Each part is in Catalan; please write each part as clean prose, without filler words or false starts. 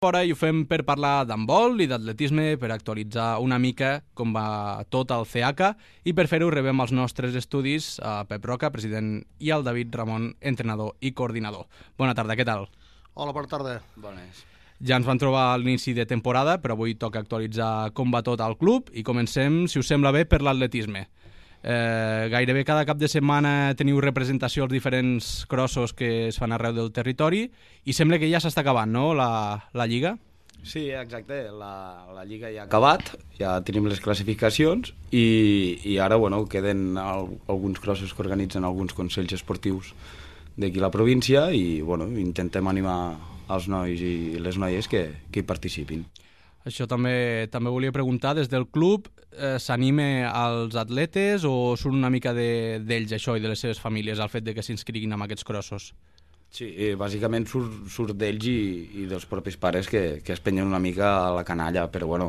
Fora i ho fem per parlar d'handbol i d'atletisme, per actualitzar una mica com va tot el CH i per fer-ho rebem als nostres estudis a Pep Roca, president, i al David Ramon, entrenador i coordinador. Bona tarda, què tal? Hola, bona tarda. Bones. Ja ens van trobar a l'inici de temporada, però avui toca actualitzar com va tot al club i comencem, si us sembla bé, per l'atletisme. Gairebé cada cap de setmana teniu representació als diferents crossos que es fan arreu del territori i sembla que ja s'està acabant, no?, la Lliga? Sí, exacte, la Lliga ja ha acabat, ja tenim les classificacions i ara queden alguns crossos que organitzen alguns consells esportius d'aquí a la província i intentem animar els nois i les noies que hi participin. Això també volia preguntar, des del club s'anima als atletes o surt una mica d'ells això i de les seves famílies el fet de que s'inscriguin en aquests crossos? Sí, bàsicament surt d'ells i dels propis pares que es penyen una mica a la canalla, però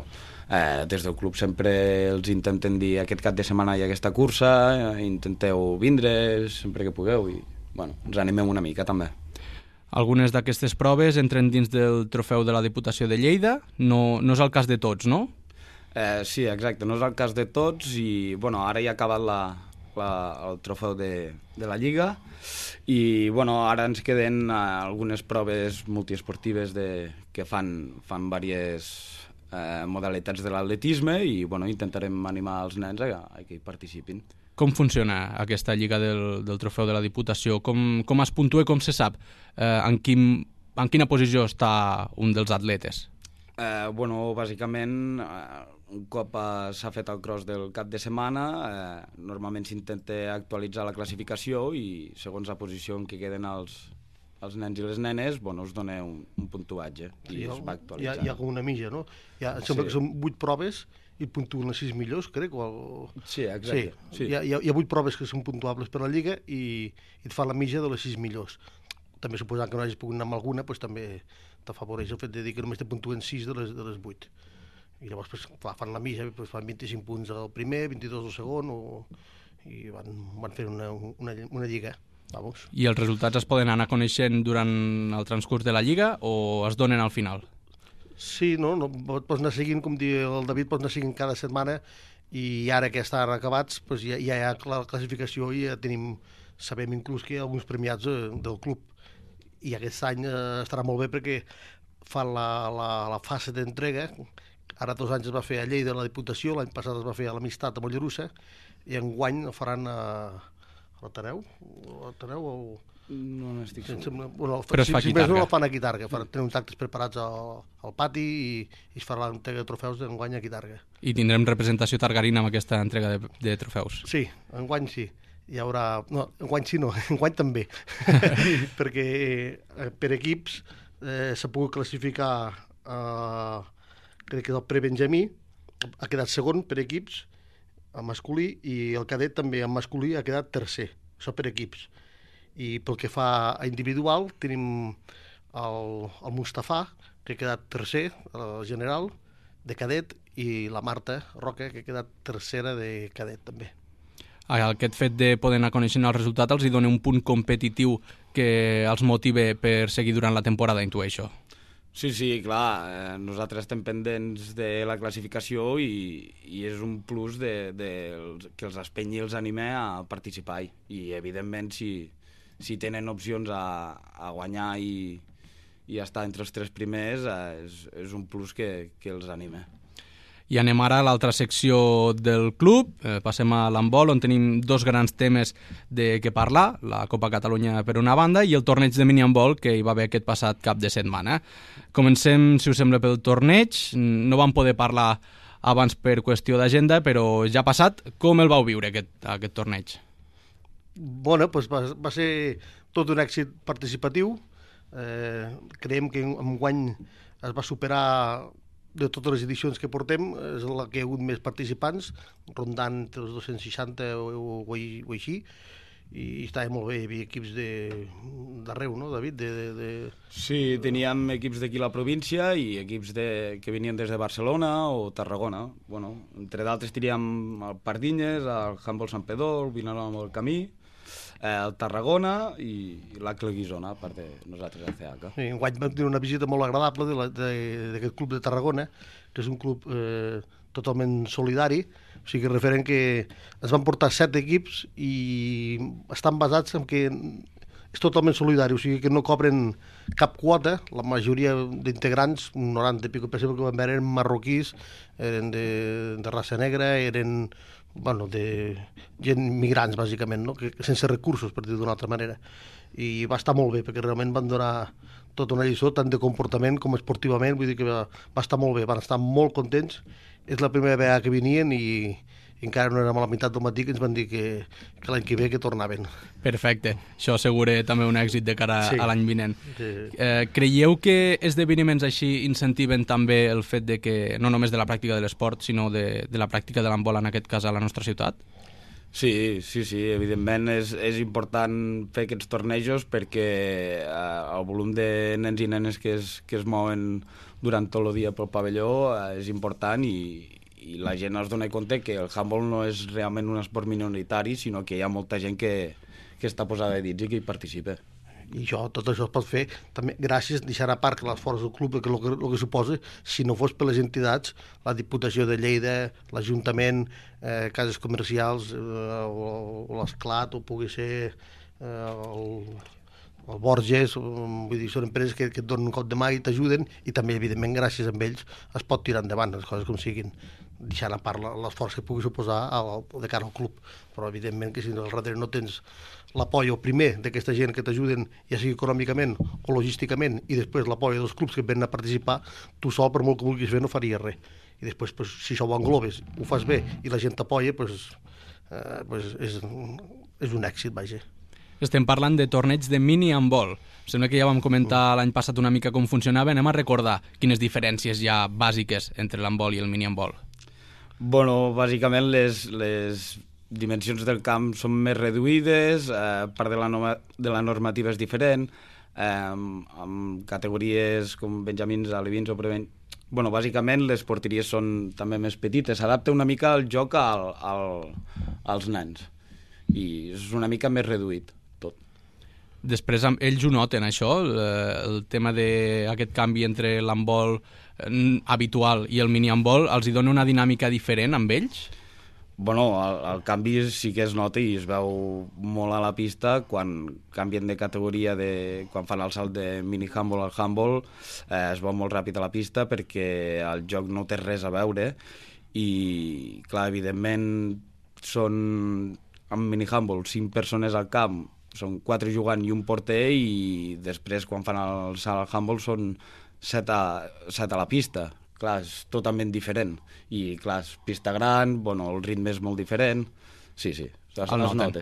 des del club sempre els intentem dir aquest cap de setmana hi ha aquesta cursa, intenteu vindre sempre que pugueu i ens animem una mica també. Algunes d'aquestes proves entren dins del trofeu de la Diputació de Lleida, no és el cas de tots, no? Sí, exacte, no és el cas de tots i ara ja ha acabat el trofeu de la Lliga i ara ens queden algunes proves multiesportives que fan diverses modalitats de l'atletisme i intentarem animar els nens a que hi participin. Com funciona aquesta Lliga del trofeu de la Diputació? Com es puntua i com se sap en quina posició està un dels atletes? Bàsicament, un cop s'ha fet el cross del cap de setmana, normalment s'intenta actualitzar la classificació i segons la posició en què queden els nens i les nenes, es dona un puntuatge i es va actualitzant. Hi ha com una mitja, no? Em sembla que són 8 proves i puntuen les 6 millors, crec. Sí, exacte. Sí. Hi ha 8 proves que són puntuables per la Lliga i et fa la mitja de les 6 millors. També suposant que no hagis pogut anar amb alguna, també t'afavoreix el fet de dir que només te puntuen 6 de les 8. I llavors fan la mitja, fan 25 punts al primer, 22 al segon, i van fer una Lliga. Vamos. I els resultats es poden anar coneixent durant el transcurs de la Lliga o es donen al final? Sí, no, pots anar seguint, com diu el David, pots anar seguint cada setmana i ara que estan acabats ja hi ha la classificació i ja sabem inclús que hi ha alguns premiats del club. I aquest any estarà molt bé perquè fan la fase d'entrega. Ara 2 anys es va fer a Lleida, a la Diputació, l'any passat es va fer a l'Amistat, a Mollerussa, i enguany el faran a l'Ateneu o... No n'estic segur. Però es fa a Quitarga. Si més no, la fan a Quitarga. Tenen uns actes preparats al pati i es farà l'entrega de trofeus d'enguany a Quitarga. I tindrem representació targarina amb aquesta entrega de trofeus? Sí, enguany sí. Hi haurà... No, enguany sí no, enguany també. Perquè per equips s'ha pogut classificar, crec que el prebenjamí ha quedat segon per equips, en masculí, i el cadet també en masculí ha quedat tercer. Això per equips. I pel que fa a individual tenim el Mustafà, que ha quedat tercer general de cadet, i la Marta Roca, que ha quedat tercera de cadet també. Aquest fet de poder anar coneixent el resultat els hi dona un punt competitiu que els motive per seguir durant la temporada, intueixo. Sí, clar, nosaltres estem pendents de la classificació i és un plus que els espenyi i els anime a participar i evidentment si tenen opcions a guanyar i estar entre els 3 primers és un plus que els anima. I anem ara a l'altra secció del club, passem a l'handbol, on tenim 2 grans temes de què parlar, la Copa Catalunya per una banda i el torneig de minihandbol que hi va haver aquest passat cap de setmana. Comencem, si us sembla, pel torneig. No vam poder parlar abans per qüestió d'agenda, però ja ha passat. Com el vau viure, aquest torneig? Va ser tot un èxit participatiu. Creiem que enguany es va superar de totes les edicions que portem, és la que hi ha hagut més participants, rondant entre els 260 o així, i estava molt bé, hi havia equips d'arreu, no, David? Sí, teníem equips d'aquí a la província i equips que venien des de Barcelona o Tarragona. Entre d'altres teníem el Pardinyes, el Handbol Sant Pedó, el Vinaròs del Camí, el Tarragona i l'Acle Guisona, a part de nosaltres al CH. Sí, enguany vam tenir una visita molt agradable d'aquest club de Tarragona, que és un club totalment solidari, o sigui, referent que ens van portar 7 equips i estan basats en que és totalment solidari, o sigui que no cobren cap quota, la majoria d'integrants, un 90 i pico per cent que vam veure, eren marroquís, eren de raça negra, eren de gent migrants, bàsicament, no? Que sense recursos, per dir d'una altra manera. I va estar molt bé, perquè realment van donar tota una lliçó, tant de comportament com esportivament, vull dir que va estar molt bé, van estar molt contents. És la primera vegada que venien i encara no érem a la meitat del matí que ens van dir que l'any que ve que tornaven. Perfecte. Això assegura també un èxit de cara a l'any vinent. Sí. Creieu que esdeveniments així incentiven també el fet de que, no només de la pràctica de l'esport, sinó de la pràctica de l'handbol, en aquest cas a la nostra ciutat? Sí, evidentment és important fer aquests tornejos perquè el volum de nens i nenes que es mouen durant tot el dia pel pavelló és important i la gent es dona compte que el handball no és realment un esport minoritari, sinó que hi ha molta gent que està posada de dits i que hi participa. I tot això es pot fer també gràcies, deixant a part l'esforç del club, que el que suposa, si no fos per les entitats, la Diputació de Lleida, l'Ajuntament, cases comercials, o l'Esclat, o pugui ser el Borges, vull dir, són empreses que et donen un cop de mà i t'ajuden, i també, evidentment, gràcies a ells es pot tirar endavant les coses com siguin, deixant a part l'esforç que pugui suposar de cara al club. Però, evidentment, que si al darrere no tens l'apoi primer d'aquesta gent que t'ajuden, ja sigui econòmicament o logísticament, i després l'apoi dels clubs que venen a participar, tu sol, per molt que vulguis fer, no faries res. I després, si això ho englobes, ho fas bé i la gent t'apoia, és un èxit, vaja. Estem parlant de torneig de mini-handbol. Sembla que ja vam comentar l'any passat una mica com funcionava. Anem a recordar quines diferències hi ha bàsiques entre l'handbol i el mini-handbol. Bueno, bàsicament les dimensions del camp són més reduïdes, part de la normativa és diferent, amb categories com benjamins, alevins o prebenjamins. Bueno, bàsicament les porteries són també més petites, s'adapta una mica el joc als nens i és una mica més reduït tot. Després ells ho noten, això, el tema d'aquest canvi entre l'handbol habitual i el mini-handbol, els hi dona una dinàmica diferent amb ells? Bueno, el canvi sí que es nota i es veu molt a la pista quan canvien de categoria, quan fan el salt de mini-handball al handball, es veu molt ràpid a la pista perquè el joc no té res a veure i, clar, evidentment són amb mini-handball 5 persones al camp, són 4 jugant i un porter, i després quan fan el salt al handball són 7 a la pista. Clar, és totalment diferent. I, clar, és pista gran, bueno, el ritme és molt diferent. Sí, es nota.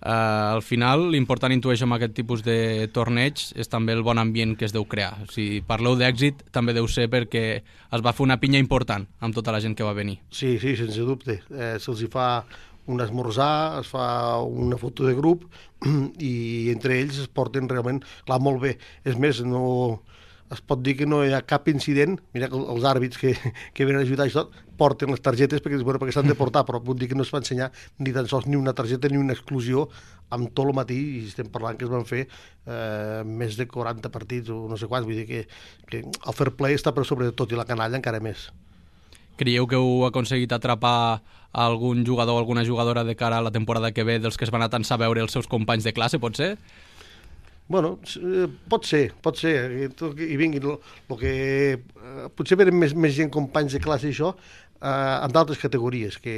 Al final, l'important, intueixo, amb aquest tipus de torneig és també el bon ambient que es deu crear. Si parleu d'èxit, també deu ser perquè es va fer una pinya important amb tota la gent que va venir. Sí, sense dubte. Se'ls hi fa un esmorzar, es fa una foto de grup i entre ells es porten realment, clar, molt bé. És més, no es pot dir que no hi ha cap incident. Mira que els àrbits que venen a ajudar i tot porten les targetes perquè s'han de portar, però puc dir que no es va ensenyar ni tan sols ni una targeta ni una exclusió amb tot el matí, i estem parlant que es van fer més de 40 partits o no sé quants, vull dir que el fair play està per sobre de tot i la canalla encara més. Creieu que heu aconseguit atrapar algun jugador o alguna jugadora de cara a la temporada que ve dels que es van atansar a veure els seus companys de classe, pot ser? Bueno, pot ser, i vinguin, potser venen més gent, companys de classe i això, en d'altres categories, que,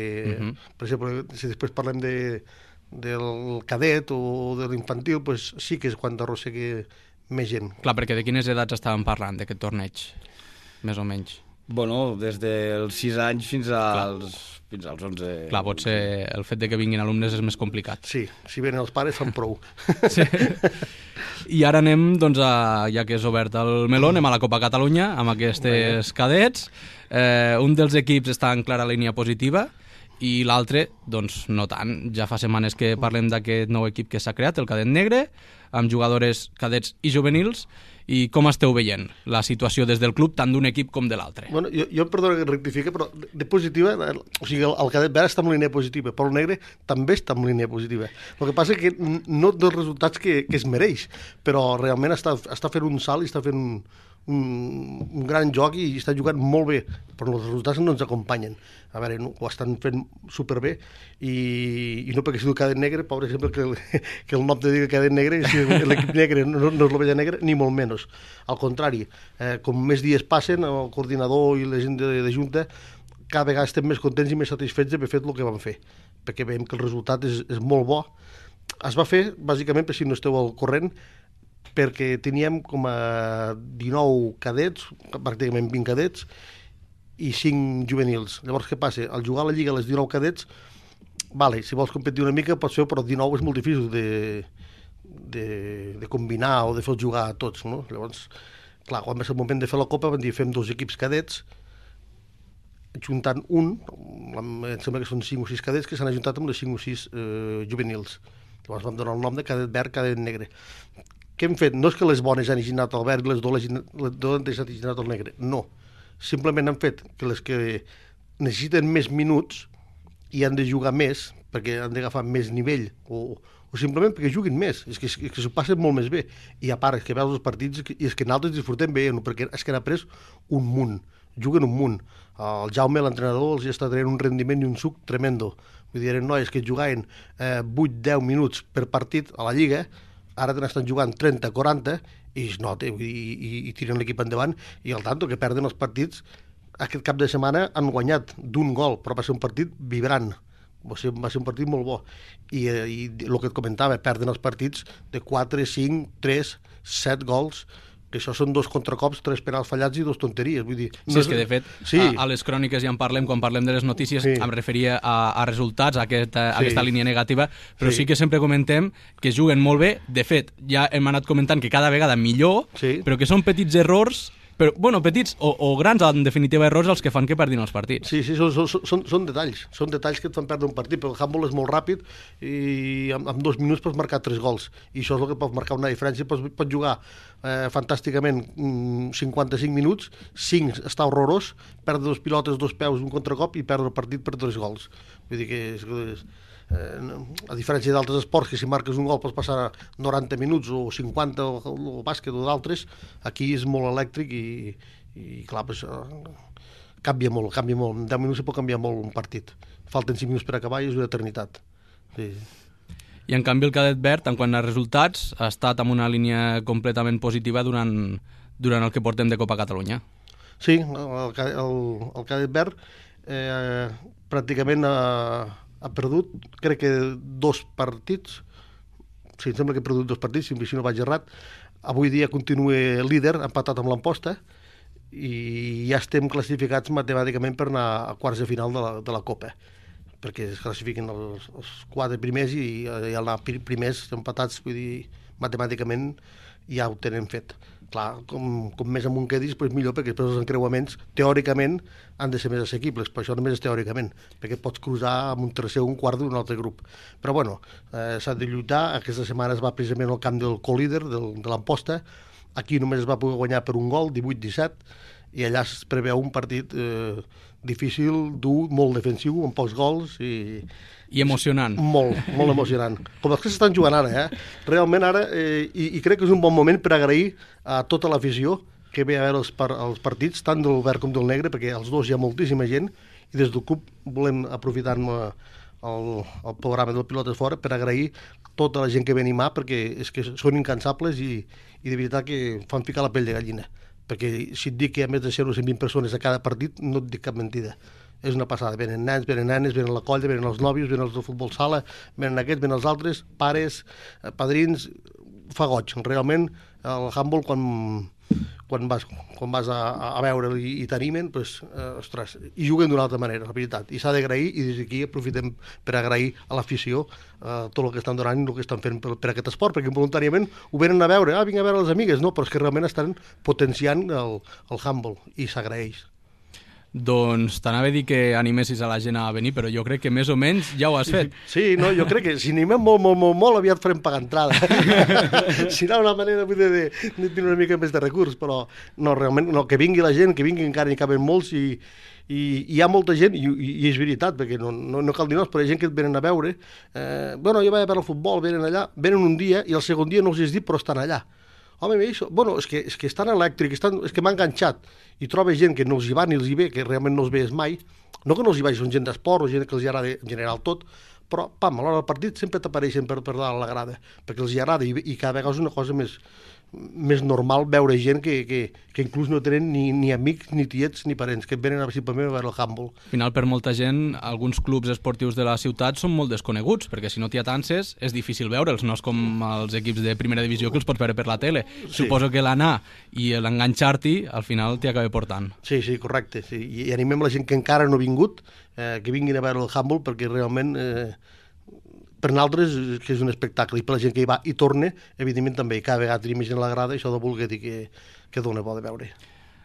per exemple, si després parlem del cadet o de l'infantil, pues sí que és quan arrossegui més gent. Clar, perquè de quines edats estàvem parlant d'aquest torneig, més o menys? Bueno, des dels 6 anys fins als 11. Clar, pot ser el fet de que vinguin alumnes és més complicat. Sí, si venen els pares fan prou. Sí. I ara anem, doncs, ja que és obert el meló, anem a la Copa Catalunya amb aquests cadets. Un dels equips està en clara línia positiva i l'altre, doncs, no tant. Ja fa setmanes que parlem d'aquest nou equip que s'ha creat, el Cadet Negre, amb jugadores cadets i juvenils, i com esteu veient la situació des del club, tant d'un equip com de l'altre? Bueno, jo perdona que rectifique, però de positiva, o sigui, el cadet verd està en línia positiva, però el negre també està en línia positiva. El que passa que no dels resultats que es mereix, però realment està fent un salt i està fent un gran joc i està jugant molt bé, però els resultats no ens acompanyen. A veure, ho estan fent superbé i no perquè sigui el cadet negre, pobre sempre que el nom te digui cadet negre, si l'equip negre no és l'ovella negra, ni molt menys. Al contrari, com més dies passen, el coordinador i la gent de Junta cada vegada estem més contents i més satisfets d'haver fet el que vam fer, perquè veiem que el resultat és molt bo. Es va fer, bàsicament, per si no esteu al corrent, perquè teníem com a 19 cadets, pràcticament 20 cadets, i 5 juvenils. Llavors, què passa? Al jugar a la Lliga a les 19 cadets, vale, si vols competir una mica pots fer, però 19 és molt difícil de combinar o de fer jugar a tots, no? Llavors, clar, quan va ser el moment de fer la Copa, vam dir, fem 2 equips cadets, juntant un, em sembla que són 5 o 6 cadets que s'han ajuntat amb les 5 o 6 juvenils. Llavors vam donar el nom de cadet verd, cadet negre. Què hem fet? No és que les bones hagin anat al verd i les dolentes hagin anat al negre, no. Simplement han fet que les que necessiten més minuts i han de jugar més, perquè han d'agafar més nivell, o simplement perquè juguin més, és que s'ho passen molt més bé. I a part, és que veus els partits i és que nosaltres disfrutem bé, perquè és que han après un munt, juguen un munt. El Jaume, l'entrenador, els està traient un rendiment i un suc tremendo. Vull dir, eren noies que jugaven 8-10 minuts per partit a la Lliga, ara n'estan jugant 30-40 i es nota, i tiren l'equip endavant, i al tanto que perden els partits. Aquest cap de setmana han guanyat d'1 gol, però va ser un partit vibrant, va ser un partit molt bo, i el que et comentava, perden els partits de 4, 5, 3, 7 gols, que això són 2 contracops, 3 penals fallats i 2 tonteries. Vull dir, sí, és que de fet, sí. A les cròniques ja en parlem, quan parlem de les notícies, sí. Em referia a resultats, a aquesta línia negativa, però sí que sempre comentem que juguen molt bé. De fet, ja hem anat comentant que cada vegada millor, però que són petits errors, però, bueno, petits o grans, en definitiva, errors els que fan que perdin els partits. Sí, són detalls que et fan perdre un partit, però el handball és molt ràpid i en 2 minuts pots marcar 3 gols, i això és el que pot marcar una diferència. Pots jugar fantàsticament 55 minuts, 5 està horrorós, perdre 2 pilotes, 2 peus, un contracop i perdre el partit per 3 gols. Vull dir que a diferència d'altres esports, que si marques un gol pots passar 90 minuts o 50 o bàsquet o d'altres, aquí és molt elèctric i clar, pues, canvia molt. En 10 minuts se pot canviar molt un partit. Falten 5 minuts per acabar i és una eternitat. Sí. I en canvi el cadet verd, en quant a resultats, ha estat amb una línia completament positiva durant el que portem de Copa Catalunya. Sí, el cadet verd pràcticament ha perdut, crec que 2 partits, sí, em sembla que ha perdut 2 partits, si no vaig errat. Avui dia continua líder, empatat amb l'Amposta, i ja estem classificats matemàticament per anar a quarts de final de la Copa, perquè es classifiquen els 4 primers i anar primers empatats, vull dir, matemàticament ja ho tenen fet. Clar, com més amunt quedis, doncs millor, perquè després els encreuaments, teòricament, han de ser més assequibles, però això només és teòricament, perquè pots cruzar amb un tercer o un quart d'un altre grup. Però bueno, s'ha de lluitar. Aquesta setmana es va precisament al camp del co-líder, de l'Amposta. Aquí només es va poder guanyar per un gol, 18-17, i allà es preveu un partit difícil, dur, molt defensiu, amb pocs gols i emocionant. Molt emocionant. Com els que s'estan jugant ara, realment ara, i crec que és un bon moment per agrair a tota l'afició que ve a veure els partits, tant del verd com del negre, perquè als dos hi ha moltíssima gent, i des del club volem aprofitar el programa del Pilotes Fora per agrair tota la gent que ve a animar, perquè és que són incansables i de veritat que fan ficar la pell de gallina. Perquè si et dic que hi ha més de 0 o 120 persones a cada partit, no et dic cap mentida. És una passada. Venen nens, venen nenes, venen la colla, venen els nòvios, venen els de futbol sala, venen aquests, venen els altres, pares, padrins, fa goig. Realment, el handball, quan vas a veure i t'animen, pues, ostres, i juguen d'una altra manera, la veritat. I s'ha d'agrair, i des d'aquí aprofitem per agrair a l'afició tot el que estan donant i el que estan fent per aquest esport, perquè voluntàriament ho venen a veure, vinc a veure les amigues, no, però és que realment estan potenciant el handball, i s'agraeix. Doncs t'anava a dir que animessis a la gent a venir, però jo crec que més o menys ja ho has fet. Sí, no, jo crec que si animem molt, aviat farem pagar entrada. Si no, una manera de tenir una mica més de recurs, però no, realment, no, que vingui la gent, que vingui encara n'hi caben molts i hi ha molta gent, i és veritat, perquè no cal dir noms, però hi ha gent que et venen a veure. Bueno, jo vaig a veure el futbol, venen allà, venen un dia i el segon dia no els has dit, però estan allà. Home, això, bueno, és que estan elèctrics, és que m'ha enganxat, i troba gent que no els hi va ni els hi ve, que realment no els veus mai, no que no els hi vagi, són gent d'esport o gent que els hi agrada en general tot, però, pam, a l'hora del partit sempre t'apareixen per dalt la grada, perquè els hi agrada, i cada vegada és una cosa més normal veure gent que inclús no tenen ni amics, ni tiets, ni parents, que venen simplement a veure el handball. Al final, per molta gent, alguns clubs esportius de la ciutat són molt desconeguts, perquè si no t'hi atances és difícil veure'ls, no és com els equips de primera divisió que els pots veure per la tele. Sí. Suposo que l'anar i l'enganxar-t'hi, al final t'hi acaba portant. Sí, correcte. Sí. I animem la gent que encara no ha vingut, que vinguin a veure el handball, perquè realment... per nosaltres que és un espectacle, i per la gent que hi va i torna, evidentment també, i cada vegada tenim gent a la grada, això de voler dir que dona bo de veure.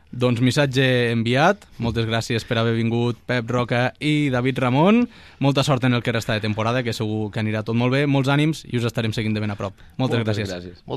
Doncs missatge enviat, moltes gràcies per haver vingut Pep Roca i David Ramon, molta sort en el que resta de temporada, que segur que anirà tot molt bé, molts ànims i us estarem seguint de ben a prop. Moltes gràcies.